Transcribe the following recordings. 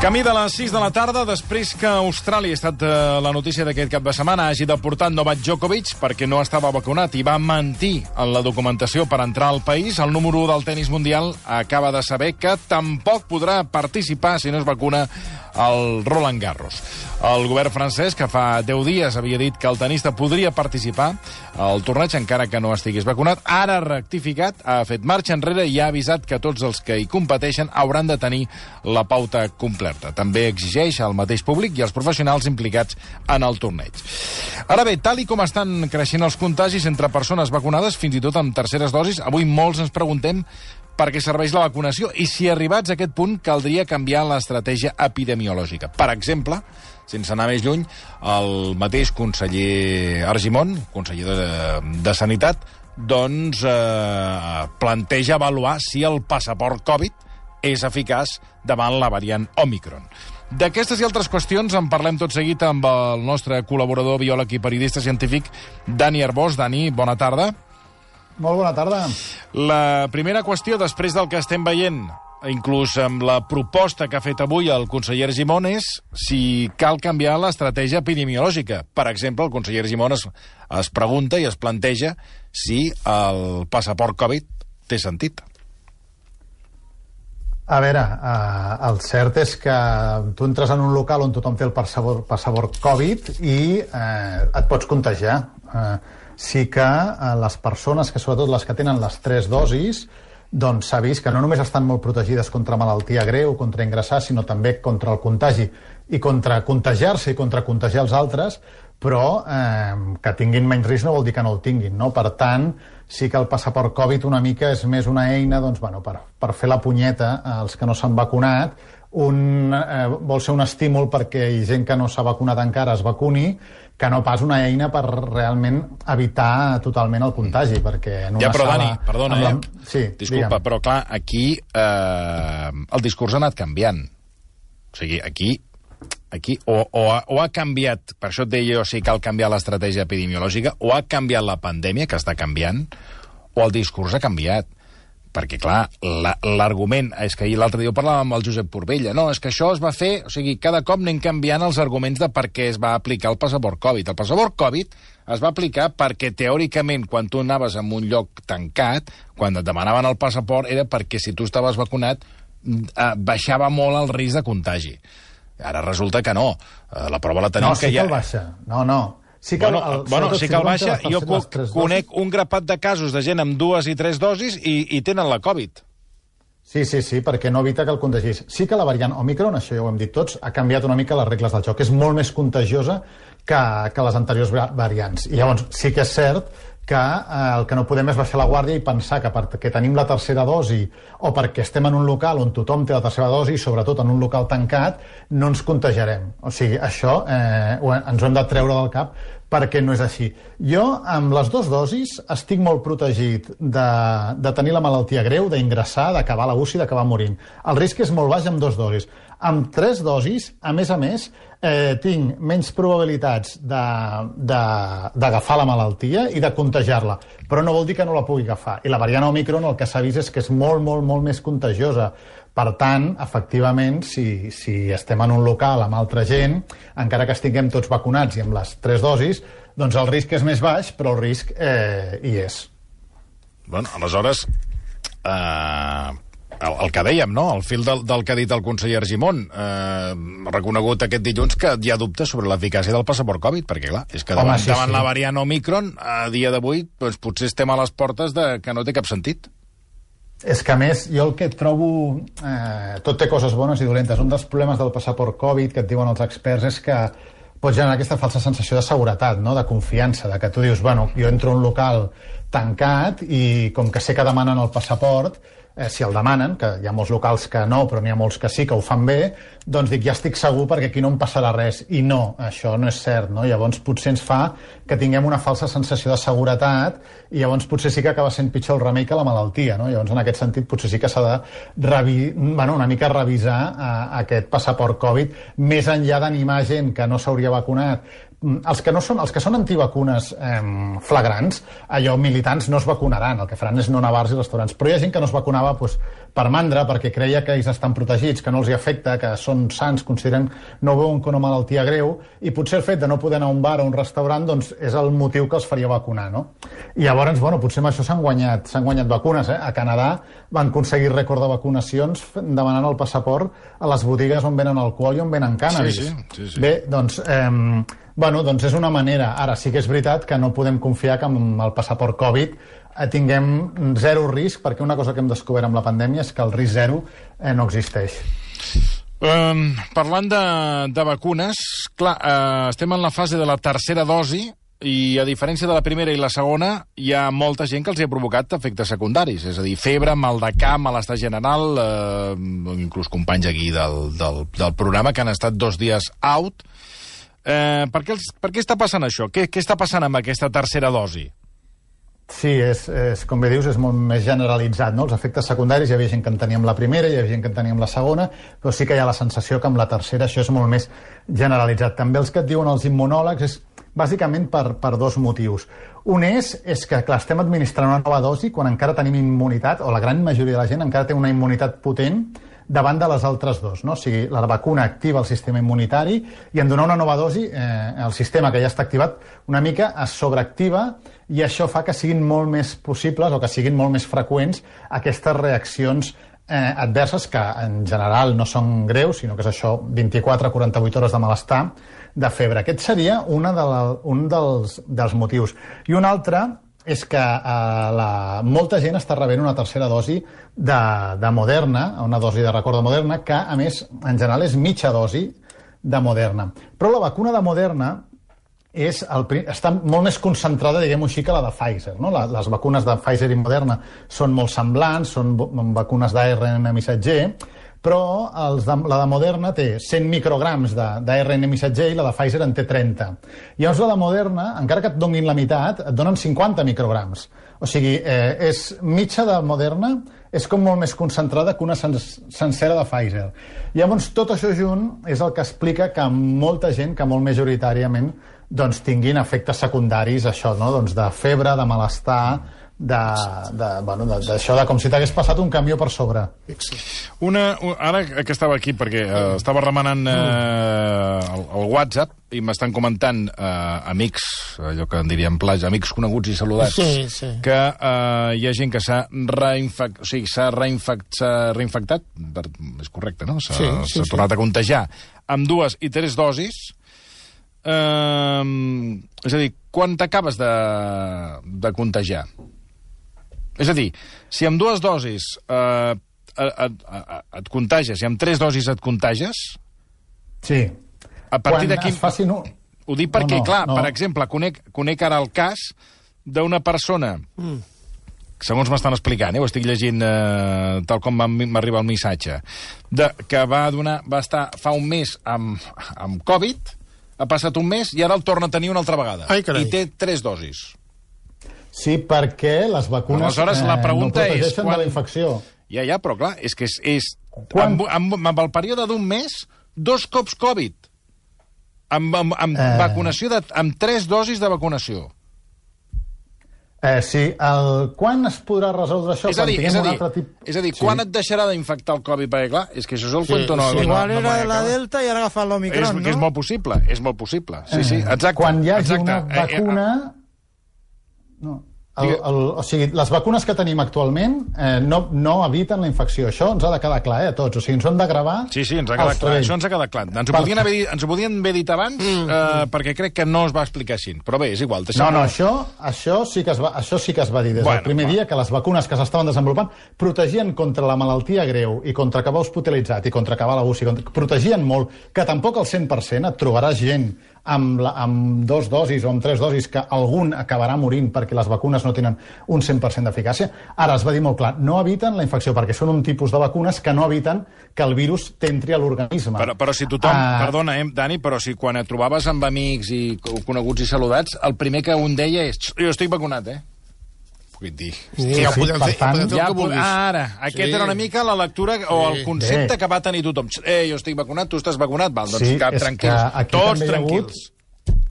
Camí de les 6 de la tarda, després que Austràlia ha estat la notícia d'aquest cap de setmana, hagi deportat Novak Djokovic perquè no estava vacunat i va mentir en la documentació per entrar al país, el número 1 del tenis mundial acaba de saber que tampoc podrà participar si no es vacuna al Roland Garros. El govern francès, que fa 10 dies havia dit que el tenista podria participar al torneig encara que no estigués vacunat, ara ha rectificat, ha fet marxa enrere i ha avisat que tots els que hi competeixen hauran de tenir la pauta completa. També exigeix al mateix públic i als professionals implicats en el torneig. Ara bé, tal i com estan creixent els contagis entre persones vacunades, fins i tot amb terceres dosis, avui molts ens preguntem per què serveix la vacunació i si arribats a aquest punt caldria canviar l'estratègia epidemiològica. Per exemple, sense anar més lluny, el mateix conseller Argimon, conseller de Sanitat, doncs planteja avaluar si el passaport Covid és eficaç davant la variant Òmicron. D'aquestes i altres qüestions en parlem tot seguit amb el nostre col·laborador, biòleg i periodista científic, Dani Arbós. Dani, bona tarda. Molt bona tarda. La primera qüestió, després del que estem veient, inclús amb la proposta que ha fet avui el conseller Argimon, és si cal canviar l'estratègia epidemiològica. Per exemple, el conseller Argimon es pregunta i es planteja si el passaport Covid té sentit. A veure, el cert és que tu entres en un local on tothom té el passaport Covid i et pots contagiar. Sí que les persones, que sobretot les que tenen les 3 dosis, doncs s'ha vist que no només estan molt protegides contra malaltia greu, contra ingressar, sinó també contra el contagi i contra contagiar-se i contra contagiar els altres, però que tinguin menys risc no vol dir que no el tinguin, no? Per tant, sí que el passaport Covid una mica és més una eina doncs, bueno, per fer la punyeta als que no s'han vacunat. Vol ser un estímul perquè gent que no s'ha vacunat encara es vacuni, que no pas una eina per realment evitar totalment el contagi, perquè en una però sala... Dani, perdona, Sí, disculpa, digue'm. però clar, aquí el discurs ha anat canviant. O sigui, aquí o ha canviat, per això et deia jo, si cal canviar l'estratègia epidemiològica, o ha canviat la pandèmia, que està canviant, o el discurs ha canviat. Perquè, clar, l'argument... És que ahir l'altre dia ho parlàvem amb el Josep Purbella. No, és que això es va fer... O sigui, cada cop anem canviant els arguments de per què es va aplicar el passaport Covid. El passaport Covid es va aplicar perquè, teòricament, quan tu anaves en un lloc tancat, quan et demanaven el passaport, era perquè si tu estaves vacunat baixava molt el risc de contagi. Ara resulta que no. La prova la tenim que el baixa. No. Sí que sí que el baixa. Jo conec un grapat de casos de gent amb 2 i 3 dosis i tenen la Covid. Sí, perquè no evita que el contagis. Sí que la variant Òmicron, això ja ho hem dit tots, ha canviat una mica les regles del joc. És molt més contagiosa que les anteriors variants. I llavors sí que és cert que el que no podem és baixar la guàrdia i pensar que perquè tenim la tercera dosi o perquè estem en un local on tothom té la tercera dosi, sobretot en un local tancat, no ens contagiarem. O sigui, això ens ho hem de treure del cap perquè no és així. Jo, amb les 2 dosis, estic molt protegit de tenir la malaltia greu, d'ingressar, d'acabar a la UCI, d'acabar morint. El risc és molt baix amb 2 dosis. Amb 3 dosis, a més, tinc menys probabilitats d'agafar la malaltia i de contagiar-la, però no vol dir que no la pugui agafar. I la variant Òmicron el que s'ha vist és que és molt més contagiosa. Per tant, efectivament, si estem en un local amb altra gent, encara que estiguem tots vacunats i amb les 3 dosis, doncs el risc és més baix, però el risc hi és. Bueno, aleshores... El que dèiem, no? El fil del que ha dit el conseller Argimon, reconegut aquest dilluns que hi ha dubtes sobre l'eficàcia del passaport Covid, perquè clar, és que davant la variant Òmicron, a dia d'avui, doncs, potser estem a les portes de que no té cap sentit. És que, a més, jo el que trobo... tot té coses bones i dolentes. Un dels problemes del passaport Covid, que et diuen els experts, és que pot generar aquesta falsa sensació de seguretat, no? De confiança, de que tu dius, bueno, jo entro a un local tancat i com que sé que demanen el passaport, si el demanen, que hi ha molts locals que no, però n'hi ha molts que sí, que ho fan bé, doncs dic, ja estic segur perquè aquí no em passarà res. I no, això no és cert, no? Llavors potser ens fa que tinguem una falsa sensació de seguretat i llavors potser sí que acaba sent pitjor el remei que la malaltia, no? Llavors en aquest sentit potser sí que s'ha de una mica revisar aquest passaport Covid, més enllà d'animar gent que no s'hauria vacunat els que són antivacunes flagrants, allò militants no es vacunaran, el que faran és no anar a bars i restaurants, però hi ha gent que no es vacunava per mandra, perquè creia que ells estan protegits, que no els hi afecta, que són sans, consideren, no ho veuen com una malaltia greu, i potser el fet de no poder anar a un bar o un restaurant doncs, és el motiu que els faria vacunar, no? I llavors, bueno, potser amb això s'han guanyat vacunes, A Canadà van aconseguir rècord de vacunacions demanant el passaport a les botigues on venen alcohol i on venen cànnabis. Sí. Bé, doncs... doncs és una manera. Ara sí que és veritat que no podem confiar que amb el passaport Covid tinguem zero risc, perquè una cosa que hem descobert amb la pandèmia és que el risc zero no existeix. Parlant de vacunes, clar, estem en la fase de la tercera dosi i, a diferència de la primera i la segona, hi ha molta gent que els ha provocat efectes secundaris, és a dir, febre, mal de cap, malestar general, inclús companys aquí del programa que han estat 2 dies out. Per què està passant això? Què està passant amb aquesta tercera dosi? Sí, com bé dius, és molt més generalitzat, no? Els efectes secundaris, hi havia gent que en tenia amb la primera, hi havia gent que en tenia amb la segona, però sí que hi ha la sensació que amb la tercera això és molt més generalitzat. També els que et diuen els immunòlegs és bàsicament per 2 motius. Un és que, clar, estem administrant una nova dosi quan encara tenim immunitat, o la gran majoria de la gent encara té una immunitat potent davant de les altres 2, no? O sigui, la vacuna activa el sistema immunitari i en donar una nova dosi, el sistema que ja està activat una mica es sobreactiva i això fa que siguin molt més possibles o que siguin molt més freqüents aquestes reaccions adverses que en general no són greus, sinó que és això, 24 a 48 hores de malestar, de febre. Aquest seria un dels motius. I un altre és que molta gent està rebent una tercera dosi de Moderna, una dosi de record de Moderna, que, a més, en general és mitja dosi de Moderna. Però la vacuna de Moderna està molt més concentrada, diguem-ho així, que la de Pfizer, no? Les vacunes de Pfizer i Moderna són molt semblants, són vacunes d'ARN missatger, però la de Moderna té 100 micrograms d'ARN missatger i la de Pfizer en té 30. Llavors la de Moderna, encara que et donin la meitat, et donen 50 micrograms. O sigui, mitja de Moderna és com molt més concentrada que una sencera de Pfizer. Llavors, tot això junt és el que explica que molta gent, que molt majoritàriament, doncs, tinguin efectes secundaris, això, no? Doncs de febre, de malestar, d'això, de com si t'hagués passat un camió per sobre. Ara que estava aquí, perquè estava remenant el WhatsApp i m'estan comentant amics, allò que en diríem platja, amics coneguts i saludats, que hi ha gent que s'ha reinfectat, és correcte, no? S'ha tornat a contagiar amb 2 i 3 dosis. És a dir, quan t'acabes de contagiar? És a dir, si amb 2 dosis et contagies i amb 3 dosis et contagies... Sí. A partir d'aquí... Ho dic perquè, clar, per exemple, conec ara el cas d'una persona, segons m'estan explicant, ho estic llegint tal com m'arriba el missatge, que va estar fa un mes amb Covid, ha passat un mes i ara el torna a tenir una altra vegada. I té 3 dosis. Sí, perquè les vacunes la pregunta no protegeixen de la infecció. Ja, però clar, és que amb el període d'un mes, 2 cops Covid. Amb vacunació, amb 3 dosis de vacunació. Sí, quan es podrà resoldre això? És a dir, quan et deixarà d'infectar el Covid? Perquè, clar, és que això és el cuento no... Igual era la Delta i ara agafat l'Omicron, no? És molt possible, és molt possible. Sí, exacte. Quan hi hagi una vacuna... O sigui, les vacunes que tenim actualment no eviten la infecció. Això ens ha de quedar clar, a tots. O sigui, ens ho hem de gravar... Sí, ens ha quedat clar. Això ens ha quedat clar. Ens ho podien haver dit abans perquè crec que no es va explicar així. Però bé, és igual. No, això sí que es va dir des del primer dia, que les vacunes que s'estaven desenvolupant protegien contra la malaltia greu i contra acabar hospitalitzat i contra acabar a la UCI. Protegien molt, que tampoc al 100% et trobaràs gent amb 2 dosis o amb 3 dosis que algun acabarà morint perquè les vacunes no tenen un 100% d'eficàcia. Ara es va dir molt clar, no eviten la infecció perquè són un tipus de vacunes que no eviten que el virus t'entri a l'organisme. Però si tothom... Perdona, Dani, però si quan et trobaves amb amics i coneguts i saludats, el primer que un deia és jo estic vacunat, Vull dir... Ja podem fer el que vulguis. Ara, aquesta era una mica la lectura o el concepte que va tenir tothom. Jo estic vacunat, tu estàs vacunat, val, doncs cap tranquils. Tots tranquils.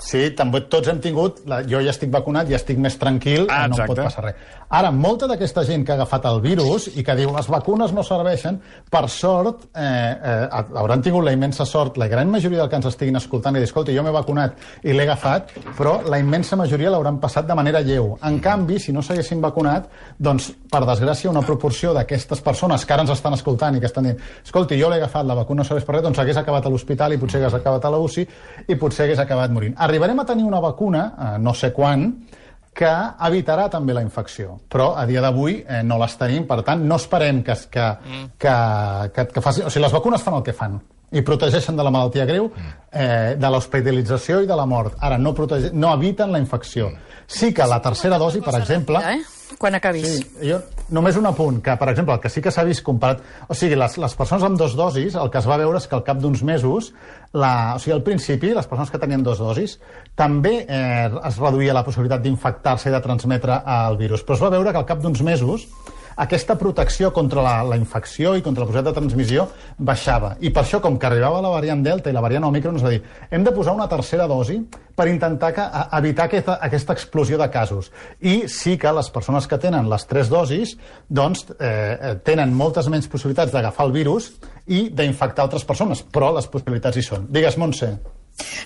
Sí, també tots hem tingut... Jo ja estic vacunat, ja estic més tranquil, no em pot passar res. Ara, molta d'aquesta gent que ha agafat el virus i que diu les vacunes no serveixen, per sort, hauran tingut la immensa sort, la gran majoria del que ens estiguin escoltant i dir, escolta, jo m'he vacunat i l'he agafat, però la immensa majoria l'hauran passat de manera lleu. En canvi, si no s'haguessin vacunat, doncs, per desgràcia, una proporció d'aquestes persones que ara ens estan escoltant i que estan dient, escolta, jo l'he agafat, la vacuna no serveix per res, doncs hagués acabat a l'hospital i potser hagués acabat a la UCI i potser hagués acabat morint. Arribarem a tenir una vacuna, no sé quan, que evitarà també la infecció. Però a dia d'avui no les tenim, per tant, no esperem que faci... O sigui, les vacunes fan el que fan i protegeixen de la malaltia greu, de l'hospitalització i de la mort. Ara, no eviten la infecció. Sí que la tercera dosi, per exemple... Quan acabis. Sí, només un apunt, que, per exemple, el que sí que s'ha vist comparat... O sigui, les persones amb 2 dosis, el que es va veure és que al cap d'uns mesos, o sigui, al principi, les persones que tenien 2 dosis, també es reduïa la possibilitat d'infectar-se i de transmetre el virus. Però es va veure que al cap d'uns mesos aquesta protecció contra la infecció i contra la possibilitat de transmissió baixava. I per això, com que arribava la variant Delta i la variant Omicron, es va dir, hem de posar una tercera dosi per intentar evitar aquesta explosió de casos. I sí que les persones que tenen les 3 dosis doncs, tenen moltes menys possibilitats d'agafar el virus i d'infectar altres persones, però les possibilitats hi són. Digues, Montse.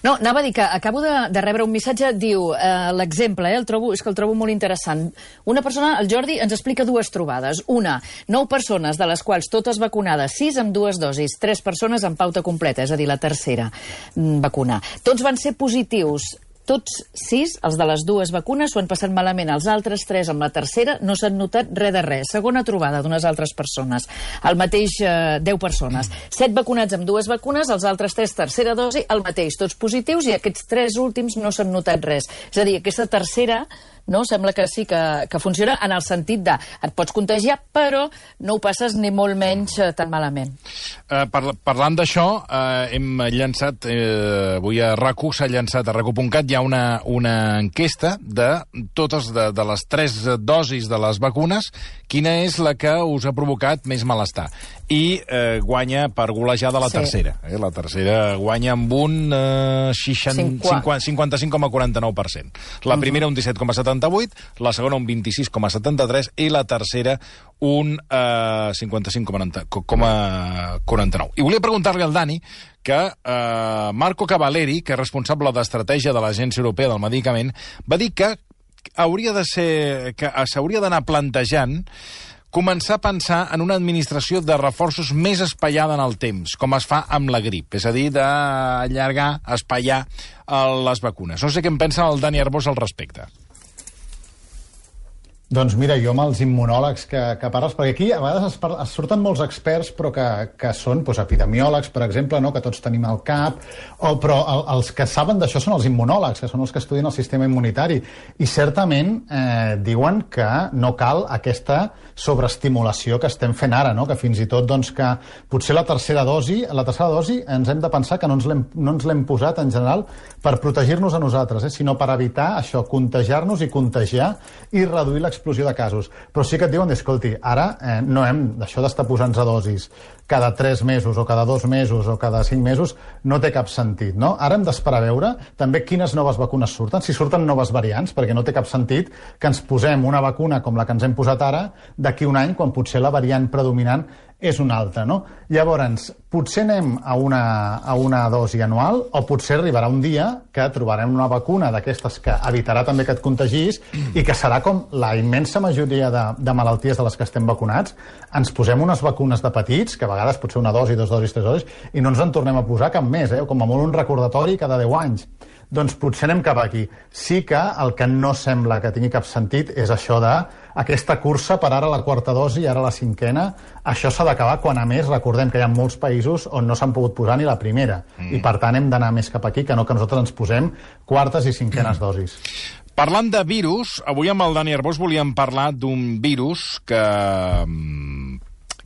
No, anava a dir que acabo de rebre un missatge, diu, l'exemple, és que el trobo molt interessant. Una persona, el Jordi, ens explica 2 trobades. Una, 9 persones, de les quals totes vacunades, 6 amb 2 dosis, 3 persones amb pauta completa, és a dir, la tercera vacuna. Tots van ser positius. Tots 6, els de les 2 vacunes, s'ho han passat malament. Els altres 3 amb la tercera no s'han notat res de res. Segona trobada d'unes altres persones. El mateix 10 persones. 7 vacunats amb 2 vacunes, els altres 3 tercera dosi, el mateix, tots positius, i aquests 3 últims no s'han notat res. És a dir, aquesta tercera no? Sembla que sí que funciona en el sentit de et pots contagiar, però no ho passes ni molt menys tan malament. Parlant d'això, hem llançat, avui a RAC1 s'ha llançat a RAC1.cat, hi ha una enquesta de totes de les 3 dosis de les vacunes, quina és la que us ha provocat més malestar. I guanya per golejada la tercera. La tercera guanya amb un 55,49%. La primera un 17,78%, la segona un 26,73% i la tercera un 55,49%. I volia preguntar-li al Dani que Marco Cavaleri, que és responsable d'estratègia de l'Agència Europea del Medicament, va dir que s'hauria d'anar plantejant començar a pensar en una administració de reforços més espaiada en el temps, com es fa amb la grip, és a dir, d'allargar, espaiar les vacunes. No sé què en pensa el Dani Arbós al respecte. Doncs mira, jo amb els immunòlegs que parles, perquè aquí a vegades es surten molts experts però que són epidemiòlegs, per exemple, no? Que tots tenim al cap, però els que saben d'això són els immunòlegs, que són els que estudien el sistema immunitari, i certament diuen que no cal aquesta sobreestimulació que estem fent ara, no? Que fins i tot doncs, que potser la tercera dosi ens hem de pensar que no ens l'hem posat en general per protegir-nos a nosaltres, sinó per evitar això, contagiar-nos i contagiar i reduir l'explosió de casos. Però sí que et diuen, escolti, ara no hem d'això d'estar posant-se dosis cada 3 mesos o cada 2 mesos o cada 5 mesos, no té cap sentit, no? Ara hem d'esperar a veure també quines noves vacunes surten, si surten noves variants, perquè no té cap sentit que ens posem una vacuna com la que ens hem posat ara d'aquí un any, quan potser la variant predominant és una altra, no? Llavors, potser anem a una dosi anual o potser arribarà un dia que trobarem una vacuna d'aquestes que evitarà també que et contagis i que serà com la immensa majoria de malalties de les que estem vacunats. Ens posem unes vacunes de petits, que a vegades pot ser una dosi, 2 dosis, 3 dosis, i no ens en tornem a posar cap més, com a molt un recordatori cada 10 anys. Doncs potser anem cap aquí. Sí que el que no sembla que tingui cap sentit és això d'aquesta cursa per ara la 4ª dosi i ara la 5ª. Això s'ha d'acabar quan, a més, recordem que hi ha molts països on no s'han pogut posar ni la primera. I, per tant, hem d'anar més cap aquí que no que nosaltres ens posem 4es i 5enes dosis. Parlant de virus, avui amb el Dani Arbós volíem parlar d'un virus que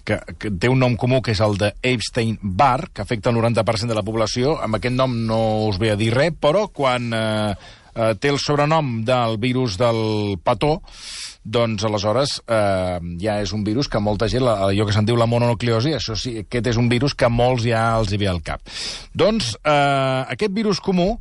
té un nom comú, que és el de Epstein-Barr, que afecta el 90% de la població. Amb aquest nom no us ve a dir res, però quan té el sobrenom del virus del petó, doncs aleshores ja és un virus que molta gent, allò que se'n diu la mononucleosi, això sí, aquest és un virus que molts ja els hi ve al cap. Doncs aquest virus comú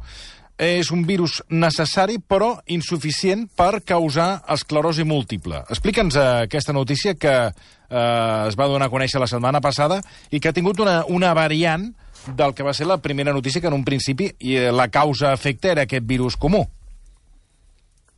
és un virus necessari però insuficient per causar esclerosi múltiple. Explica'ns aquesta notícia que es va donar a conèixer la setmana passada i que ha tingut una variant del que va ser la primera notícia, que en un principi la causa-efecte era aquest virus comú.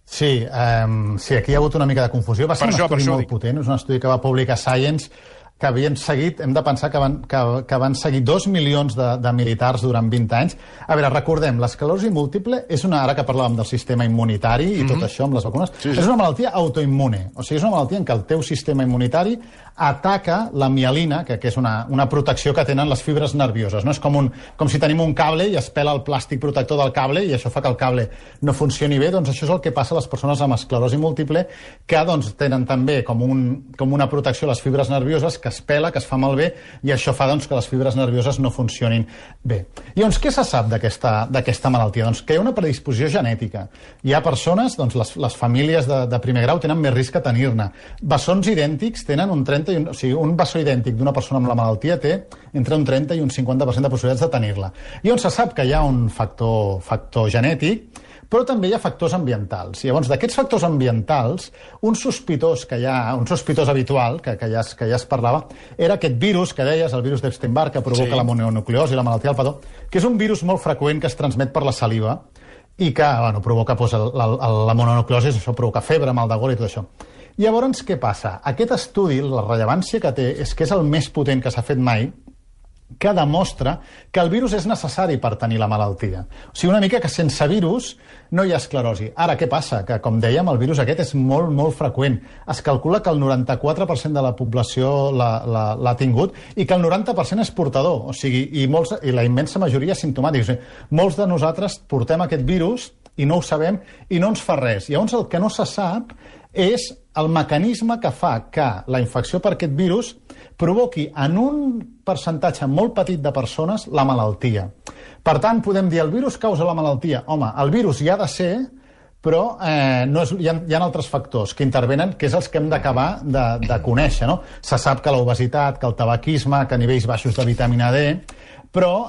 Sí, aquí hi ha hagut una mica de confusió. Va ser un estudi molt potent, és un estudi que va publicar Science, que havien seguit, hem de pensar que van seguir 2 milions de militars durant 20 anys. A veure, recordem, l'esclerosi múltiple és ara que parlàvem del sistema immunitari i tot això amb les vacunes, és una malaltia autoimmune. O sigui, és una malaltia en què el teu sistema immunitari ataca la mielina, que és una protecció que tenen les fibres nervioses. No? És com si tenim un cable i es pela el plàstic protector del cable i això fa que el cable no funcioni bé. Doncs això és el que passa a les persones amb esclerosi múltiple, que tenen també com una protecció a les fibres nervioses, que es pela, que es fa malbé, i això fa que les fibres nervioses no funcionin bé. I llavors, què se sap d'aquesta malaltia? Doncs que hi ha una predisposició genètica. Hi ha persones, les famílies de primer grau tenen més risc a tenir-ne. Bessons idèntics tenen un bessó idèntic d'una persona amb la malaltia té entre un 30 i un 50% de possibilitats de tenir-la. I on se sap que hi ha un factor genètic, però també hi ha factors ambientals. I llavors, d'aquests factors ambientals, un sospitós habitual, que ja es parlava, era aquest virus que deies, el virus d'Epstein-Barr, que provoca la mononucleosi, la malaltia del petó, que és un virus molt freqüent que es transmet per la saliva i que provoca la mononucleosi, això provoca febre, mal de gola i tot això. Llavors, què passa? Aquest estudi, la rellevància que té, és que és el més potent que s'ha fet mai, que demostra que el virus és necessari per tenir la malaltia. O sigui, una mica que sense virus no hi ha esclerosi. Ara, què passa? Que, com dèiem, el virus aquest és molt, molt freqüent. Es calcula que el 94% de la població l'ha tingut i que el 90% és portador. O sigui, i la immensa majoria asimptomàtics. O sigui, molts de nosaltres portem aquest virus i no ho sabem i no ens fa res. Llavors, el que no se sap és el mecanisme que fa que la infecció per aquest virus provoqui en un percentatge molt petit de persones la malaltia. Per tant, podem dir el virus causa la malaltia. Home, el virus hi ha de ser, però hi ha altres factors que intervenen, que és els que hem d'acabar de conèixer. No? Se sap que l'obesitat, que el tabaquisme, que nivells baixos de vitamina D, però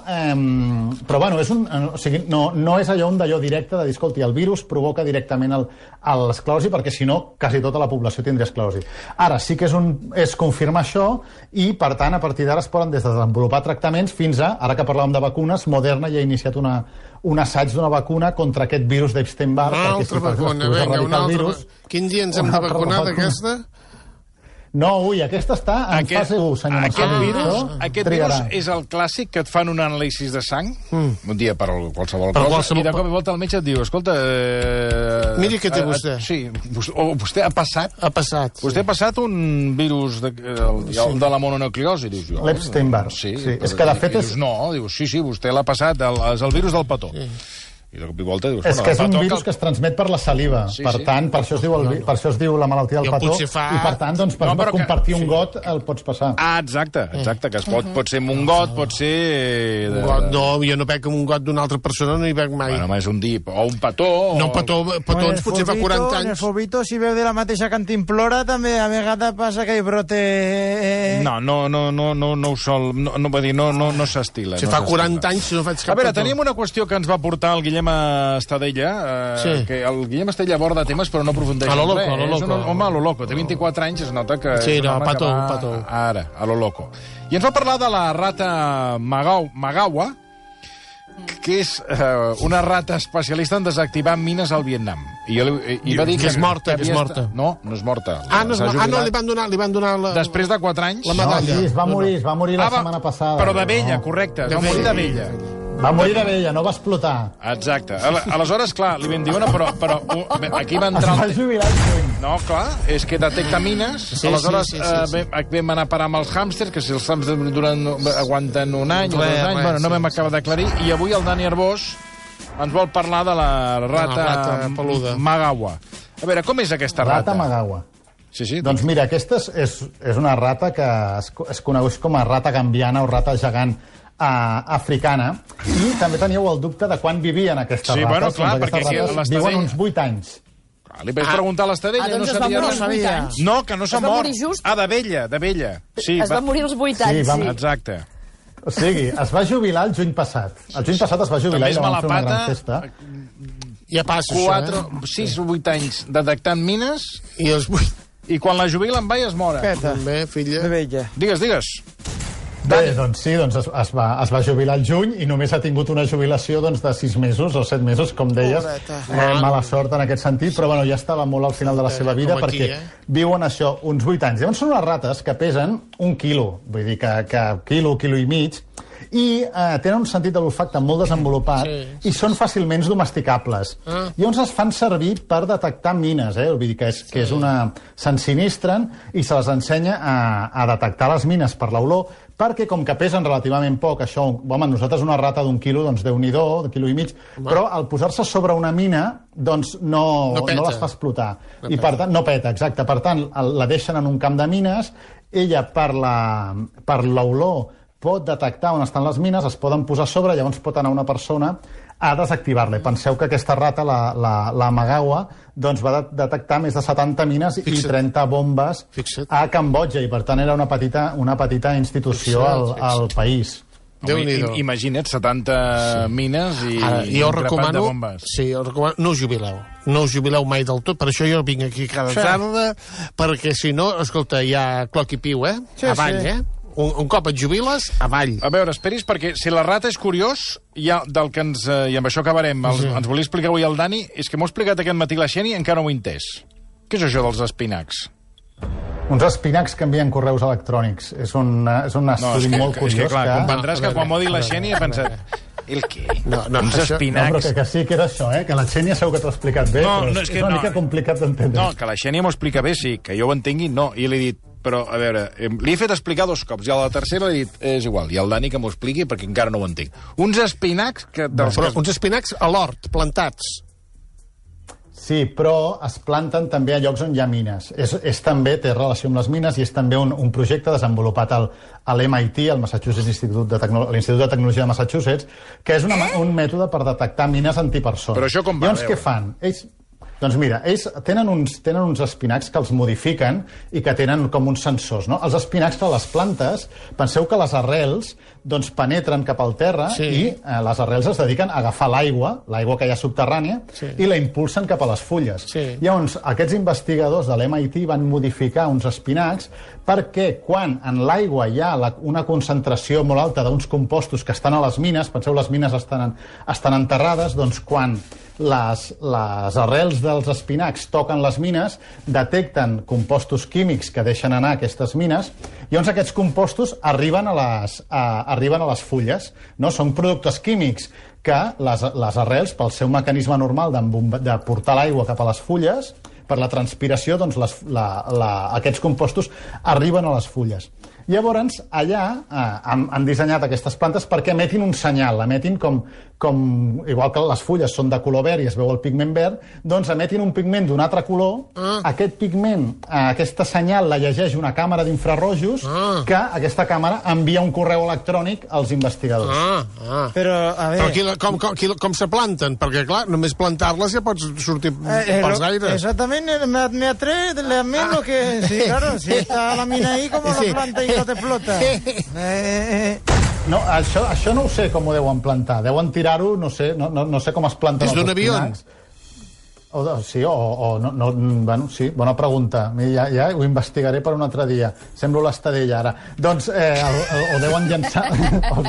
bueno, no és allò directe de dir, escolti, el virus provoca directament l'esclerosi, perquè si no, quasi tota la població tindria esclerosi. Ara, sí que és confirmar això i, per tant, a partir d'ara es poden desenvolupar tractaments fins a, ara que parlàvem de vacunes, Moderna ja ha iniciat un assaig d'una vacuna contra aquest virus d'Epstein-Barr. Una altra vacuna, vinga, una altra. Quin dia ens hem de vacunar d'aquesta? No, aquesta està en fase 1, senyor Marcelo. Aquest virus és el clàssic que et fan un anàlisi de sang, un dia per qualsevol cosa, i de cop i volta el metge et diu, escolta... Miri què té vostè. Sí, vostè ha passat... Ha passat. Vostè ha passat un virus de la mononucleosi, dius jo. L'Epstein-Barr. Sí, és que de fet és... No, dius, sí, vostè l'ha passat, és el virus del petó. I de cop i volta dius... És que és un virus que es transmet per la saliva. Per tant, per això es diu la malaltia del petó. I per tant, per compartir un got el pots passar. Ah, exacte, que pot ser amb un got, pot ser... No, jo no bec amb un got d'una altra persona, no hi bec mai. Bueno, és un dip, o un petó... No, petons potser fa 40 anys. En el fobito, si veu de la mateixa cantimplora, també a vegades passa que hi brote... No ho sol... No s'estila. Si fa 40 anys, si no faig cap petó. A veure, teníem una qüestió que ens va portar el Guillem Estadella, que el Guillem Estadella aborda temes però no aprofundeix en res. Home, a lo loco. Té 24 anys, es nota que... Sí, no, petó. Ara, a lo loco. I ens va parlar de la rata Magawa, que és una rata especialista en desactivar mines al Vietnam. I va dir que és morta, que és morta. No és morta. Li van donar després de 4 anys... La medalla. Sí, es va morir la setmana passada. Però de vella, correcte. Es va morir de vella. Va morir de vella, no va explotar. Exacte. Aleshores, clar, li vam dir, però aquí va entrar... Es va jubilar. No, clar, és que detecta mines. Aleshores, vam anar a parar amb els hàmsters, que si els hàmsters aguanten un any o 2 anys, bueno, no vam acabar d'aclarir, i avui el Dani Arbós ens vol parlar de la rata Magawa. A veure, com és aquesta rata? Rata Magawa. Sí. Doncs mira, aquesta és una rata que es coneix com a rata gambiana o rata gegant africana, i també teníeu el dubte de quan vivien aquestes rates. Sí, bueno, clar, perquè rates viuen uns 8 anys. Li vaig preguntar a l'Estadella, doncs no sabia res. No, que no s'ha mort. De vella. Sí, es va morir als 8 anys, sí. Exacte. O sigui, es va jubilar el juny passat. El juny passat es va jubilar i la van fer una gran festa. Ja passa, 6 o 8 anys detectant mines I els 8. i quan la jubilen va i es mora. Peta. També, filla. De vella. Digues. Bé, doncs sí, es va jubilar al juny i només ha tingut una jubilació de 6 mesos o 7 mesos, com deies. Mala sort en aquest sentit, però bueno, ja estava molt al final de la seva vida perquè viuen això uns 8 anys. Llavors són unes rates que pesen 1 quilo, vull dir que quilo i mig, i tenen un sentit de l'olfacte molt desenvolupat i són fàcilment domesticables. Llavors es fan servir per detectar mines, vull dir que s'ensinistren i se les ensenya a detectar les mines per l'olor, perquè com que pesen relativament poc, això, home, nosaltres una rata d'1 quilo, doncs Déu-n'hi-do, de quilo i mig, però al posar-se sobre una mina, doncs no les fa explotar. I per tant, no peta, exacte. Per tant, la deixen en un camp de mines, ella per l'olor pot detectar on estan les mines, es poden posar a sobre, llavors pot anar una persona a desactivar-la. Penseu que aquesta rata, la Magawa, doncs va detectar més de 70 mines i 30 bombes a Cambodja, i per tant era una petita institució al país. Imagina't, 70 mines i jo un grapat de bombes. Sí, jo recomano, no us jubileu. No us jubileu mai del tot, per això jo vinc aquí cada tarda, perquè si no, escolta, hi ha cloc i piu, avall, Un cop et jubiles, avall. A veure, esperis, perquè si la rata és curiós, del que i amb això acabarem, ens volia explicar avui el Dani, és que m'ho ha explicat aquest matí la Xeni i encara no ho he entès. Què és això dels espinacs? Uns espinacs que envien correus electrònics. És un estudi molt curiós. És que, clar, comprendràs que quan m'ho ha dit la Xeni he pensat... El què? Uns espinacs... No, però que sí que era això, que la Xènia segur que t'ho ha explicat bé, però és una mica complicat d'entendre. No, que la Xènia m'ho explica bé, sí, que jo ho entengui, no. I l'he dit, però, a veure, li he fet explicar 2 cops, i a la tercera l'he dit, és igual, i al Dani que m'ho expliqui, perquè encara no ho entenc. Uns espinacs que... Uns espinacs a l'hort, plantats. Sí, però es planten també a llocs on hi ha mines. També té relació amb les mines i és també un projecte desenvolupat a l'MIT, al l'Institut de Tecnologia de Massachusetts, que és un mètode per detectar mines antipersones. Però això com va? Llavors, què fan? Doncs mira, ells tenen uns espinacs que els modifiquen i que tenen com uns sensors, no? Els espinacs de les plantes, penseu que les arrels doncs penetren cap al terra i les arrels es dediquen a agafar l'aigua que hi ha subterrània, i la impulsen cap a les fulles. Llavors, aquests investigadors de l'MIT van modificar uns espinacs perquè quan en l'aigua hi ha una concentració molt alta d'uns compostos que estan a les mines, penseu, les mines estan enterrades, doncs quan les arrels dels espinacs toquen les mines, detecten compostos químics que deixen anar aquestes mines, i llavors aquests compostos arriben a les fulles. No? Són productes químics que les arrels, pel seu mecanisme normal de portar l'aigua cap a les fulles, per la transpiració, doncs aquests compostos arriben a les fulles. Llavors, allà han dissenyat aquestes plantes perquè emetin un senyal, emetin igual que les fulles són de color verd i es veu el pigment verd, doncs emetin un pigment d'un altre color, aquest pigment, aquesta senyal la llegeix una càmera d'infrarrojos que aquesta càmera envia un correu electrònic als investigadors. Però, a veure... Però com se planten? Perquè, clar, només plantar-les ja pots sortir pels aires. Exactament, me atrae lo que... Sí, claro, si está la mina ahí, como la planta y no te flota. No, això no ho sé com ho deuen plantar. Deuen tirar-ho, no sé com es planten els espinacs. Sí, bueno, sí, bona pregunta. Ja ho investigaré per un altre dia. Semblo l'Estadella, ara. Doncs o deuen llançar... o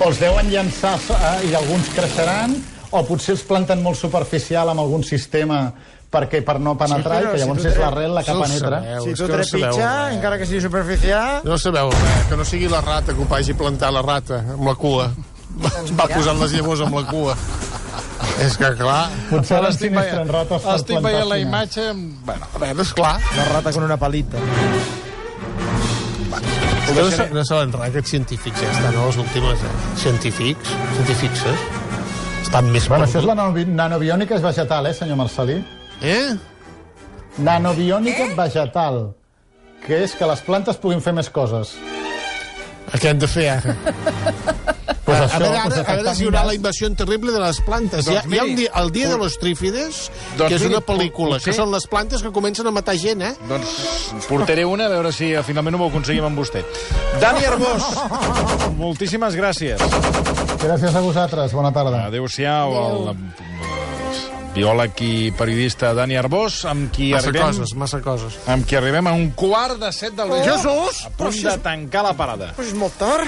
els deuen llançar i alguns creixeran, o potser els planten molt superficial amb algun sistema per no penetrar, i que llavors és l'arrel la que penetra. Si tu trepitja, encara que sigui superficial... No sabeu res, que no sigui la rata que ho vagi plantar la rata amb la cua. Va posant les llavors amb la cua. És que, clar... Potser l'ensinistren rates per plantar. Estic veient la imatge... Bueno, a veure, esclar. La rata con una palita. No saben res, aquests científics ja estan a les últimes. Científics, estan més... Bueno, això és la nanobiònica és vegetal, senyor Marcelí? Nanobiònica vegetal, que és que les plantes puguin fer més coses. Què han de fer ara? Pues a això, veure, pues a veure si hi haurà la invasió terrible de les plantes. Doncs Hi ha miri, el dia de los trífides, doncs que és miri, una pel·lícula, potser- que són les plantes que comencen a matar gent, eh? Doncs portaré una, a veure si finalment ho aconseguim amb vostè. Dani Arbós, moltíssimes gràcies. Gràcies a vosaltres, bona tarda. Adéu-siau, el biòleg i periodista Dani Arbós, amb qui Massa coses. amb qui arribem a 6:45 del vespre. Jesús! A punt de tancar la parada. Pues és molt tard.